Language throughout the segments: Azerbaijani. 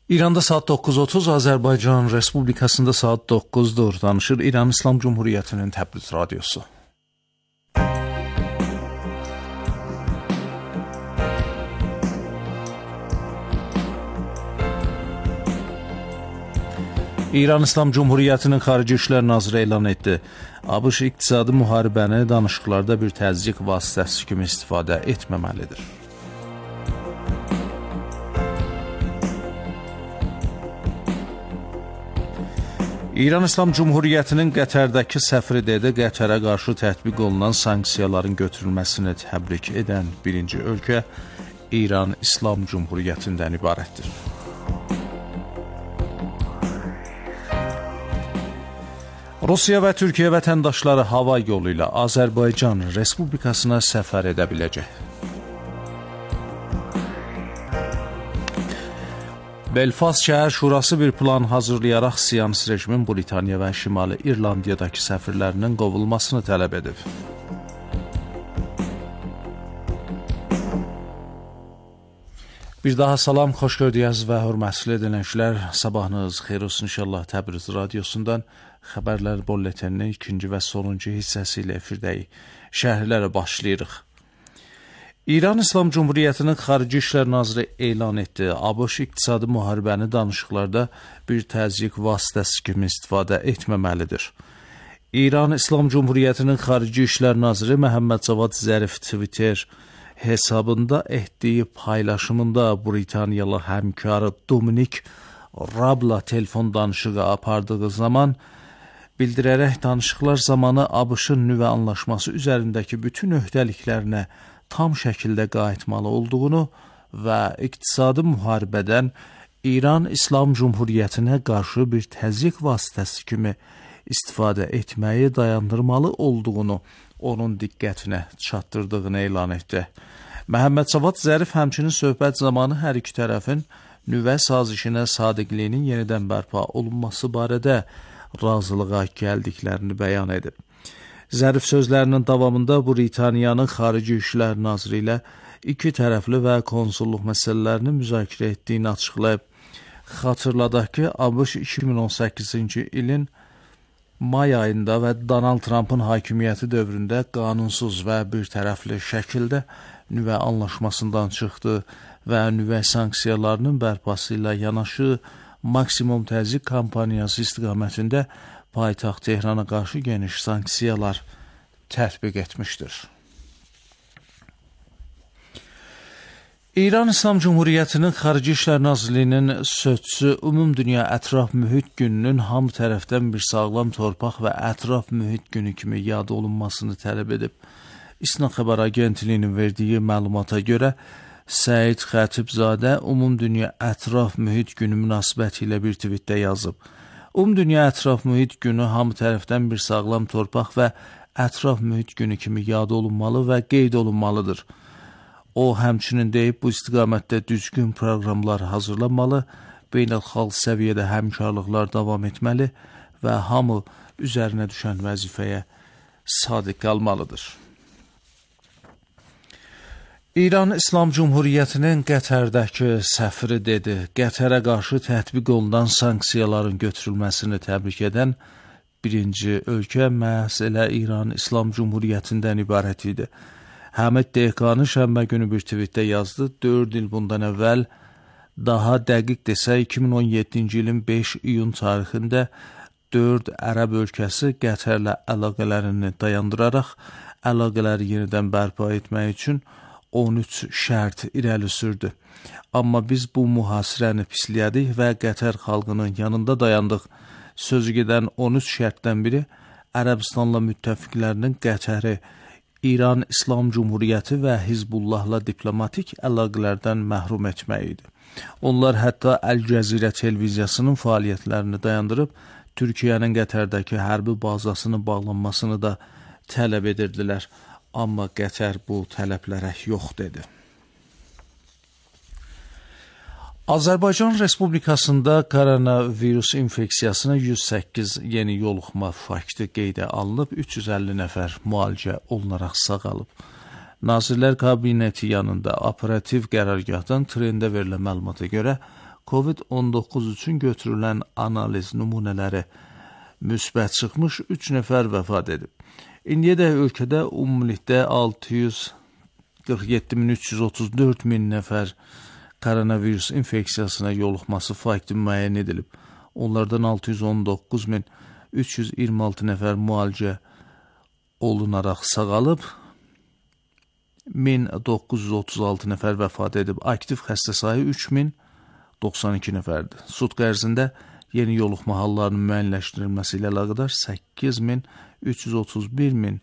İranda saat 9:30, Azərbaycan Respublikasında saat 9'dur. Danışır İran İslam Cumhuriyetinin Təbriz Radyosu. İran İslam Cumhuriyetinin Xarici İşlər Naziri elan etdi. ABŞ iqtisadi müharibəni danışıqlarda bir təzyiq vasitəsi kimi istifadə etməməlidir. İran İslam Cumhuriyetinin Qətərdəki səfiri dedi, Qətərə qarşı tətbiq olunan sanksiyaların götürülməsini təbrik edən birinci ölkə İran İslam Cumhuriyetindən ibarətdir. Rusiya və Türkiyə vətəndaşları hava yolu ilə Azərbaycan Respublikasına səfər edə biləcək. Belfast Şəhər Şurası bir plan hazırlayaraq Siyonist rejimin Britaniya və Şimali İrlandiyadakı səfirlərinin qovulmasını tələb edib. Bir daha salam, xoş gördüyüz və hörmətli dinləyicilər. Sabahınız xeyir olsun inşallah. Təbriz Radyosundan xəbərlər bulletininin ikinci və sonuncu hissəsi ilə efirdəyik. Şərhlərə başlayırıq. İran İslam Cumhuriyetinin Xarici İşlər Naziri elan etdi. ABŞ iqtisadi müharibəni danışıqlarda bir təzyiq vasitəsi kimi istifadə etməməlidir. İran İslam Cumhuriyetinin Xarici İşlər Naziri Məhəmməd Cavad Zərif Twitter hesabında etdiyi paylaşımında Britaniyalı həmkarı Dominik Rabla telefon danışığı apardığı zaman bildirərək danışıqlar zamanı ABŞ-ın nüvə anlaşması üzərindəki bütün öhdəliklərinə tam şəkildə qayıtmalı olduğunu və iqtisadi müharibədən İran İslam Cumhuriyetinə qarşı bir təzyiq vasitəsi kimi istifadə etməyi dayandırmalı olduğunu onun diqqətinə çatdırdığını elan etdi. Məhəmməd Cavad Zərif həmçinin söhbət zamanı hər iki tərəfin nüvə sazişinə sadiqliyinin yenidən bərpa olunması barədə razılığa gəldiklərini bəyan edib. Zərif sözlərinin davamında Britaniyanın Xarici İşlər Naziri ilə iki tərəfli və konsulluq məsələlərini müzakirə etdiyini açıqlayıb. Xatırladaq ki, ABŞ 2018-ci ilin may ayında və Donald Trump'ın hakimiyyəti dövründə qanunsuz və bir tərəfli şəkildə nüvə anlaşmasından çıxdı və nüvə sanksiyalarının bərpası ilə yanaşı maksimum təzyiq kampaniyası istiqamətində paytaxt Tehrana qarşı geniş sanksiyalar tətbiq etmişdir. İran İslam Cumhuriyetinin Xarici İşlər Nazirliyinin sözçüsü Ümumdünya Ətraf Mühit Gününün hamı tərəfdən bir sağlam torpaq və ətraf mühit günü kimi yad olunmasını tələb edib. İSNA xəbər agentliyinin verdiyi məlumata görə Səid Xətibzadə Ümumdünya Ətraf Mühit Günü münasibəti ilə bir tweetdə yazıb. Ümumdünya Ətraf Mühit Günü hamı tərəfdən bir sağlam torpaq və ətraf mühit günü kimi yad olunmalı və qeyd olunmalıdır. O, həmçinin deyib, bu istiqamətdə düzgün proqramlar hazırlanmalı, beynəlxalq səviyyədə həmkarlıqlar davam etməli və hamı üzərinə düşən vəzifəyə sadiq qalmalıdır. İran İslam Cumhuriyetinin Qətərdəki səfiri dedi, Qətərə qarşı tətbiq olunan sanksiyaların götürülməsini təbrik edən birinci ölkə məhz elə İran İslam Cumhuriyetindən ibarət idi. Həmid Dehqani şənbə günü bir tweetdə yazdı, 4 il bundan əvvəl, daha dəqiq desə 2017-ci ilin 5 iyun tarixində 4 ərəb ölkəsi Qətərlə əlaqələrini dayandıraraq əlaqələri yenidən bərpa etmək üçün 13 şərt irəli sürdü. Amma biz bu mühasirəni pisliyədik və Qətər xalqının yanında dayandıq. Sözü gedən 13 şərtdən biri Ərəbistanla müttəfiqlərinin Qətəri, İran İslam Cumhuriyeti və Hizbullahla diplomatik əlaqələrdən məhrum etmək idi. Onlar hətta Əl-Cəzirə televiziyasının fəaliyyətlərini dayandırıb, Türkiyənin Qətərdəki hərbi bazasının bağlanmasını da tələb edirdilər. Amma Qətər bu tələblərə yox dedi. Azərbaycan Respublikasında koronavirus infeksiyasına 108 yeni yoluxma faktı qeydə alınıb, 350 nəfər müalicə olunaraq sağalıb. Nazirlər Kabineti yanında operativ qərargahdan trendə verilən məlumata görə COVID-19 üçün götürülən analiz nümunələri müsbət çıxmış 3 nəfər vəfat edib. İndiyədək ölkədə ümumilikdə 647.334 nəfər koronavirus infeksiyasına yoluxması fakti müəyyən edilib. Onlardan 619.326 nəfər müalicə olunaraq sağalıb, 1936 nəfər vəfat edib. Aktiv xəstə sayı 3092 nəfərdir. Sutq ərzində yeni yoluxma hallarının müəyyənləşdirilməsi ilə əlaqədar 8331.000,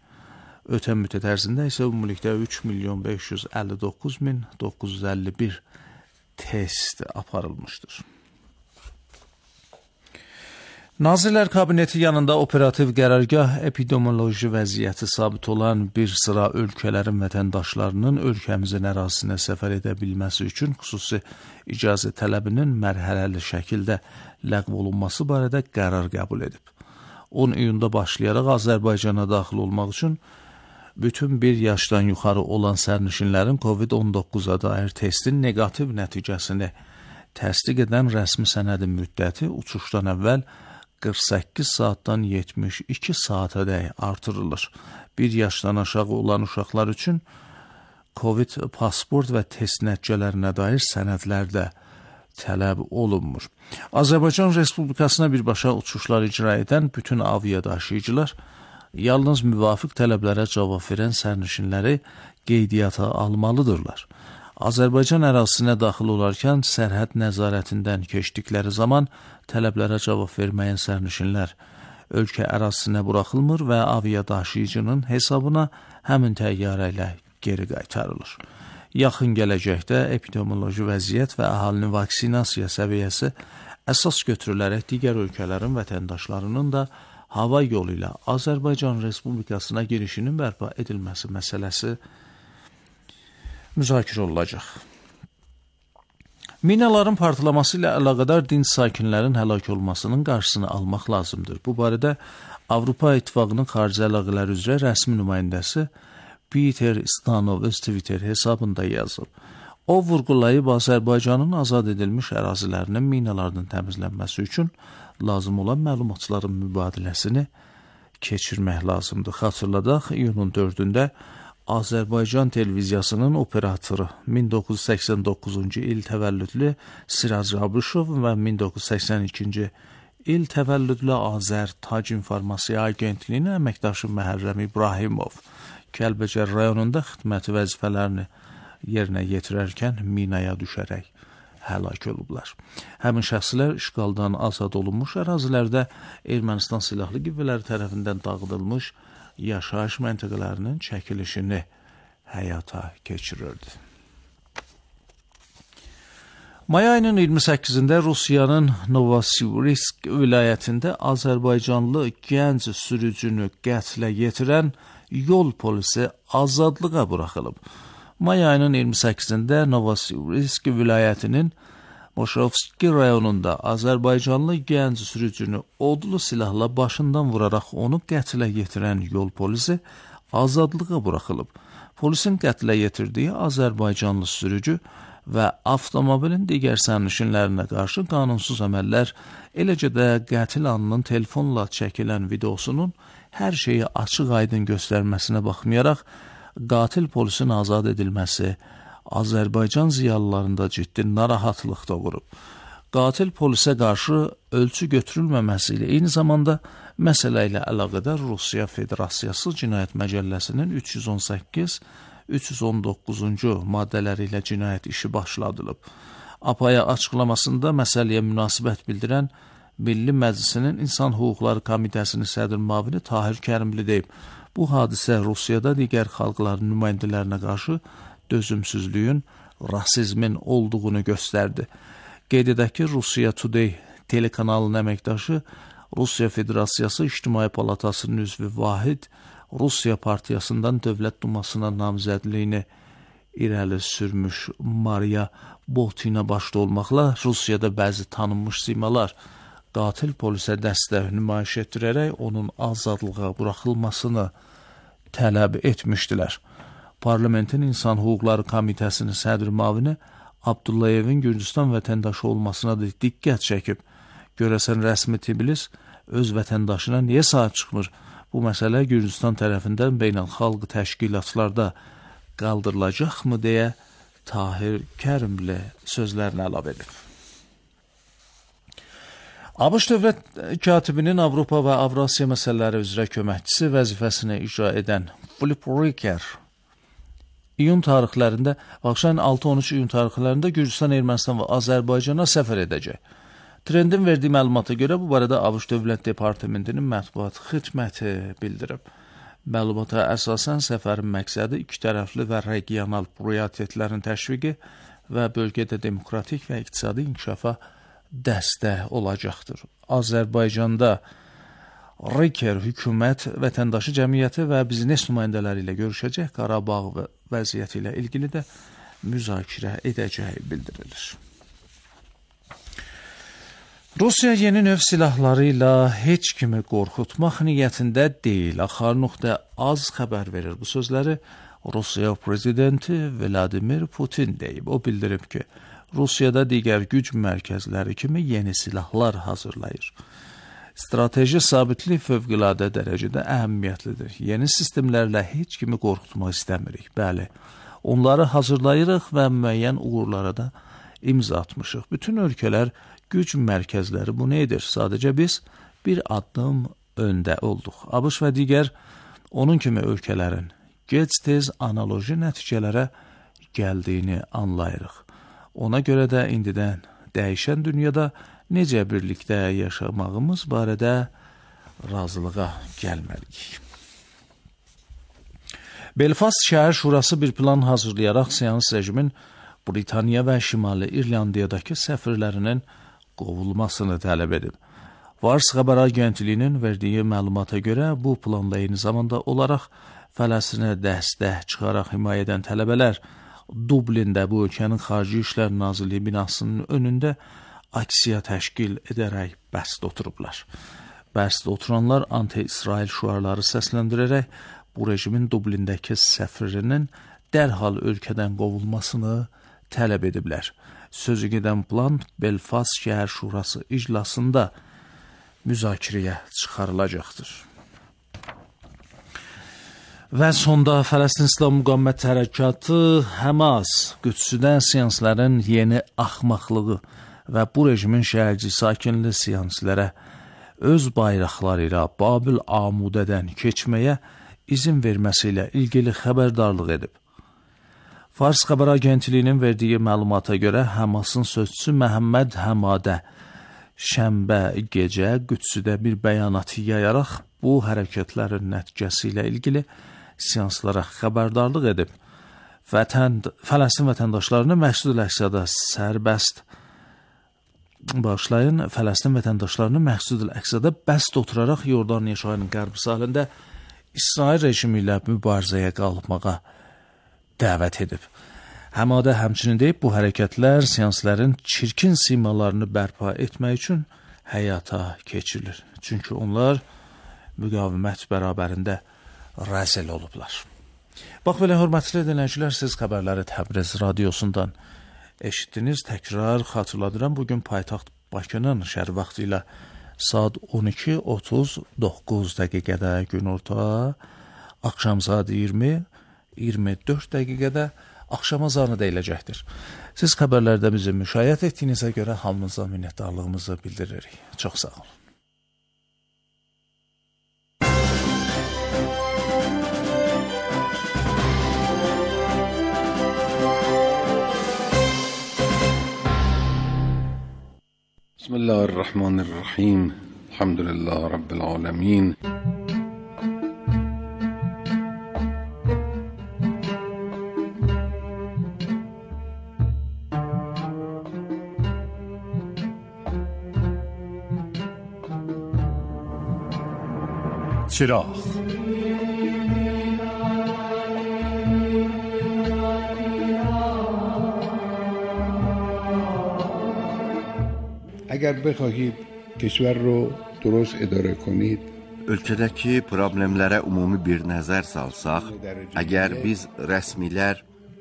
ötən müddət ərzində isə ümumilikdə 3.559.951 test aparılmışdır. Nazirlər Kabineti yanında operativ qərargah epidemioloji vəziyyəti sabit olan bir sıra ölkələrin vətəndaşlarının ölkəmizin ərazisinə səfər edə bilməsi üçün xüsusi icazə tələbinin mərhələli şəkildə ləğv olunması barədə qərar qəbul edib. 10 iyunda başlayaraq Azərbaycana daxil olmaq üçün bütün bir yaşdan yuxarı olan sərnişinlərin COVID-19-a dair testin negativ nəticəsini təsdiq edən rəsmi sənədin müddəti uçuşdan əvvəl 48 saatdan 72 saatədək artırılır. 1 yaşdan aşağı olan uşaqlar üçün COVID pasport və test nəticələrinə dair sənədlər də tələb olunmur. Azərbaycan Respublikasına birbaşa uçuşlar icra edən bütün aviadaşıyıcılar yalnız müvafiq tələblərə cavab verən sərnişinləri qeydiyyata almalıdırlar. Azərbaycan ərazisinə daxil olarkən sərhəd nəzarətindən keçdikləri zaman tələblərə cavab verməyən sərnişinlər ölkə ərazisinə buraxılmır və aviadaşıyıcının hesabına həmin təyyarə ilə geri qaytarılır. Yaxın gələcəkdə epidemioloji vəziyyət və əhalinin vaksinasiya səviyyəsi əsas götürülərək digər ölkələrin vətəndaşlarının da hava yolu ilə Azərbaycan Respublikasına girişinin bərpa edilməsi məsələsi müzakirə olunacaq. Minaların partlaması ilə əlaqədar dinc sakinlərin həlak olmasının qarşısını almaq lazımdır. Bu barədə Avropa İttifaqının xarici əlaqələr üzrə rəsmi nümayəndəsi Peter Stanov öz Twitter hesabında yazıb. O vurğulayıb Azərbaycanın azad edilmiş ərazilərinin minalardan təmizlənməsi üçün lazım olan məlumatların mübadiləsini keçirmək lazımdır. Xatırladaq, iyunun 4-də Azərbaycan televiziyasının operatoru 1989-cu il təvəllüdlü Siraj Abışov və 1982-ci il təvəllüdlü Azər Tac İnformasiya Agentliyinin əməkdaşı Məhərrəm İbrahimov Kəlbəcər rayonunda xidməti vəzifələrini yerinə yetirərkən minaya düşərək həlak olublar. Həmin şəxslər işğaldan azad olunmuş ərazilərdə Ermənistan silahlı qüvvələri tərəfindən dağıdılmış yaşayış məntəqələrinin çəkilişini həyata keçirirdi. May ayının 28-də Rusiyanın Novosibirsk vilayətində Azərbaycanlı gənc sürücünü qətlə yetirən yol polisi azadlığa buraxılıb. May ayının 28-də Novosibirsk vilayətinin Moşovski rayonunda Azərbaycanlı gənc sürücünü odlu silahla başından vuraraq onu qətlə yetirən yol polisi azadlığa buraxılıb. Polisin qətlə yetirdiyi Azərbaycanlı sürücü və avtomobilin digər sərnişinlərinə qarşı qanunsuz əməllər, eləcə də qətil anının telefonla çəkilən videosunun hər şeyi açıq-aydın göstərməsinə baxmayaraq, qatil polisin azad edilməsi Azərbaycan ziyalılarında ciddi narahatlıq doğurub. Qatil polisə qarşı ölçü götürülməməsi ilə eyni zamanda məsələ ilə əlaqədar Rusiya Federasiyası Cinayət Məcəlləsinin 318-319-cu maddələri ilə cinayət işi başladılıb. APAya açıqlamasında məsələyə münasibət bildirən Milli Məclisinin İnsan Hüquqları Komitəsinin sədr müavini Tahir Kərimli deyib. Bu hadisə Rusiyada digər xalqların nümayəndələrinə qarşı dözümsüzlüyün, rasizmin olduğunu göstərdi. Qeyd edək ki, Rusiya Today telekanalının əməkdaşı, Rusiya Federasiyası İctimai Palatasının üzvü Vahid, Rusiya Partiyasından Dövlət Dumasına namizədliyini irəli sürmüş Mariya Botina başda olmaqla Rusiyada bəzi tanınmış simalar qatil polisə dəstək nümayiş etdirərək onun azadlığa buraxılmasını tələb etmişdilər. Parlamentin İnsan Hüquqları Komitəsinin sədr müavini Abdullayevin Gürcüstan vətəndaşı olmasına da diqqət çəkib. Görəsən rəsmi Tbilisi öz vətəndaşına niyə sahib çıxmır? Bu məsələ Gürcüstan tərəfindən beynəlxalq təşkilatlarda qaldırılacaqmı deyə Tahir Kərimli sözlərini əlavə edib. ABŞ dövlət katibinin Avropa və Avrasiya məsələləri üzrə köməkçisi vəzifəsini icra edən Filip Riker iyun tarixlərində, axşam 6-13 iyun tarixlərində Gürcüstan, Ermənistan və Azərbaycana səfər edəcək. Trendin verdiyi məlumata görə bu barədə ABŞ Dövlət Departamentinin mətbuat xidməti bildirib. Məlumata əsasən səfərin məqsədi iki tərəfli və regional prioritetlərin təşviqi və bölgədə demokratik və iqtisadi inkişafa dəstək olacaqdır. Azərbaycanda Riker hökumət, vətəndaşı cəmiyyəti və biznes nümayəndələri ilə görüşəcək, Qarabağ vəziyyəti ilə ilgili də müzakirə edəcəyi bildirilir. Rusiya yeni növ silahları ilə heç kimi qorxutmaq niyyətində deyil. Axar.az xəbər verir. Bu sözləri Rusiya prezidenti Vladimir Putin deyib. O bildirib ki, Rusiyada digər güc mərkəzləri kimi yeni silahlar hazırlayır. Strateji sabitlik fövqəladə dərəcədə əhəmiyyətlidir. Yeni sistemlərlə heç kimi qorxutmaq istəmirik. Bəli, onları hazırlayırıq və müəyyən uğurlara da imza atmışıq. Bütün ölkələr güc mərkəzləri bunu edir. Sadəcə biz bir addım öndə olduq. ABŞ və digər onun kimi ölkələrin gec-tez analoji nəticələrə gəldiyini anlayırıq. Ona görə də indidən dəyişən dünyada necə birlikdə yaşamağımız barədə razılığa gəlməliyik. Belfast şəhər şurası bir plan hazırlayaraq seans rejimin Britaniya və Şimali İrlandiyadakı səfirlərinin qovulmasını tələb edib. Fars xəbər agentliyinin verdiyi məlumata görə bu planla eyni zamanda olaraq Fələstinə dəstək çıxaraq himayə edən tələbələr Dublində bu ölkənin Xarici İşlər Nazirliyi binasının önündə aksiya təşkil edərək bəsdə oturublar. Bəsdə oturanlar anti-İsrail şüarları səsləndirərək bu rejimin Dublindəki səfirinin dərhal ölkədən qovulmasını tələb ediblər. Sözü gedən plan Belfast şəhər şurası iclasında müzakirəyə çıxarılacaqdır. Və sonda Fələstin İslam Müqavimət Hərəkatı Həmas Qüdsüdən siyansların yeni axmaqlığı və bu rejimin şəhərci sakinli siyanslərə öz bayraqları ilə Babil Amudədən keçməyə izin verməsi ilə ilgili xəbərdarlıq edib. Fars xəbər agentliyinin verdiyi məlumata görə Həmasın sözçüsü Məhəmməd Həmadə şənbə gecə Qüdsüdə bir bəyanat yayaraq bu hərəkətlərin nəticəsi ilə ilgili seanslara xəbərdarlıq edib. Fələstin vətəndaşlarını Məqsud-ül-Əqsədə Fələstin vətəndaşlarını Məqsud-ül-Əqsədə bəst oturaraq Yordaniya çayının qərb sahilində İsrail rejimi ilə mübarizəyə qalmağa dəvət edib. Həmadə həmçinin deyib, bu hərəkətlər seansların çirkin simalarını bərpa etmək üçün həyata keçirilir. Çünki onlar müqavimət bərabərində rəzil olublar. Bax belə, hörmətli dinləyicilər, siz xəbərləri Təbriz radiosundan eşitdiniz. Təkrar xatırladıram, bugün paytaxt Bakının şəhər vaxtı ilə saat 12:39 dəqiqədə günorta, axşam saat 20:24 dəqiqədə axşam azanı deyiləcəkdir. Siz xəbərlərdə bizi müşahidə etdiyinizə görə hamınıza minnətdarlığımızı bildiririk. Çox sağ olun. Bismillahirrahmanirrahim. Elhamdülillah Rabbil alemin. چراغ اگر بخواهید کشور رو درست اداره کنید Ölkədəki problemlərə ümumi bir nəzər salsaq, əgər biz rəsmilər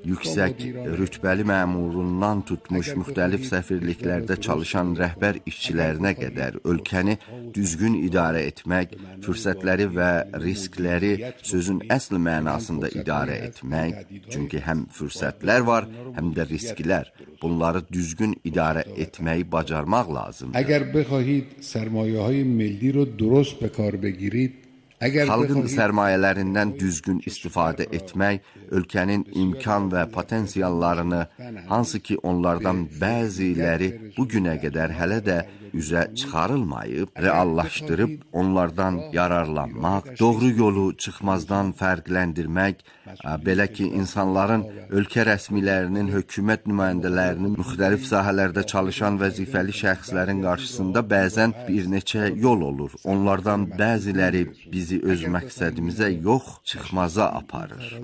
yüksək rütbəli məmurundan tutmuş müxtəlif səfirliklərdə çalışan rəhbər işçilərinə qədər ölkəni düzgün idarə etmək, fürsətləri və riskləri sözün əsl mənasında idarə etmək, çünki həm fürsətlər var, həm də risklər. Bunları düzgün idarə etməyi bacarmaq lazımdır. Əgər بخواهید سرمایه‌های ملی رو درست به کار بگیرید Xalqın sərmayələrindən düzgün istifadə etmək, ölkənin imkan və potensiallarını, hansı ki onlardan bəziləri bugünə qədər hələ də üzə çıxarılmayıb, reallaşdırıb onlardan yararlanmaq, doğru yolu çıxmazdan fərqləndirmək, belə ki, insanların, ölkə rəsmilərinin, hökumət nümayəndələrinin, müxtəlif sahələrdə çalışan vəzifəli şəxslərin qarşısında bəzən bir neçə yol olur. Onlardan bəziləri bizi öz məqsədimizə yox, çıxmaza aparır.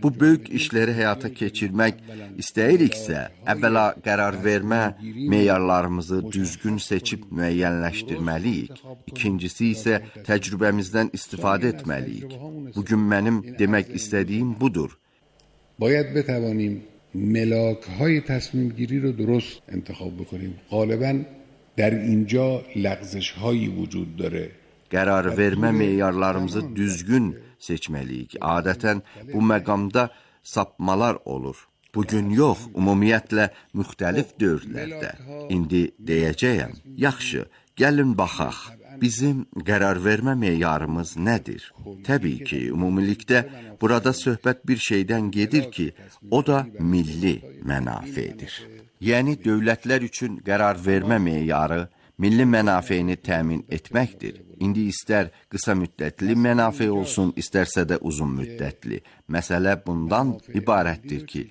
Bu böyük işləri həyata keçirmək istəyiriksə, əvvəla qərar vermə meyarlarımızı düzgün seçib müəyyənləşdirməliyik. İkincisi isə təcrübəmizdən istifadə etməliyik. Bugün mənim demək istədiyim budur. باید بتوانیم ملاک‌های تصمیم گیری رو درست انتخاب بکنیم. غالباً در اینجا لغزش‌هایی وجود داره. Qərar vermə meyarlarımızı düzgün seçməliyik. Adətən bu məqamda sapmalar olur. Bugün yox, ümumiyyətlə müxtəlif dövrlərdə. İndi deyəcəyəm, yaxşı, gəlin baxaq. Bizim qərar vermə meyarımız nədir? Təbii ki, ümumilikdə burada söhbət bir şeydən gedir ki, o da milli mənafedir. Yəni, dövlətlər üçün qərar vermə meyarı milli mənafeyini təmin etməkdir. İndi istər qısa müddətli mənafe olsun, istərsə də uzun müddətli. Məsələ bundan ibarətdir ki,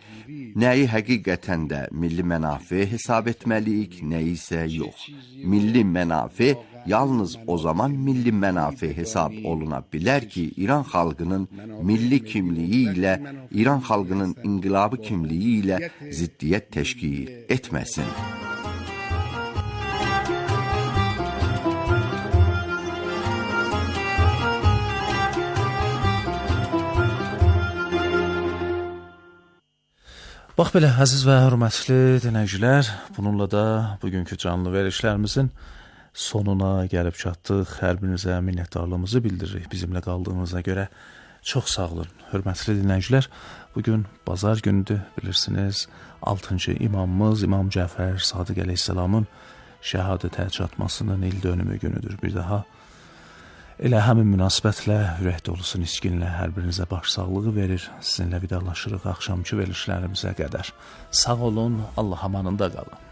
nəyi həqiqətən də milli mənafe hesab etməliyik, nəyi isə yox. Milli mənafe yalnız o zaman milli mənafe hesab oluna bilər ki, İran xalqının milli kimliyi ilə, İran xalqının inqilabı kimliyi ilə ziddiyyət təşkil etməsin. Bax belə, əziz və hörmətli dinləyicilər, bununla da bugünkü canlı verilişlərimizin sonuna gəlib çatdıq. Hər birinizə minnətdarlığımızı bildiririk bizimlə qaldığınıza görə. Çox sağ olun, hörmətli dinləyicilər. Bugün bazar günüdür, bilirsiniz, 6-cı imamımız İmam Cəfər Sadiq əleyhissalamın şəhadətə çatmasının il dönümü günüdür. Bir daha elə həmin münasibətlə ürək dolusu niskinlə hər birinizə başsağlığı verir. Sizinlə vidalaşırıq axşamçı verilişlərimizə qədər. Sağ olun, Allah amanında qalın.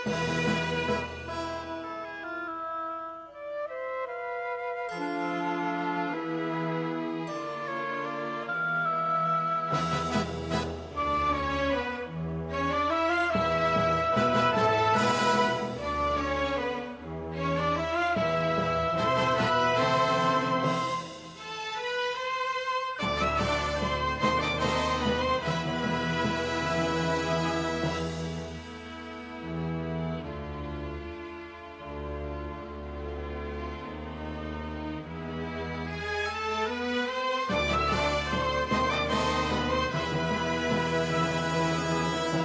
Thank you.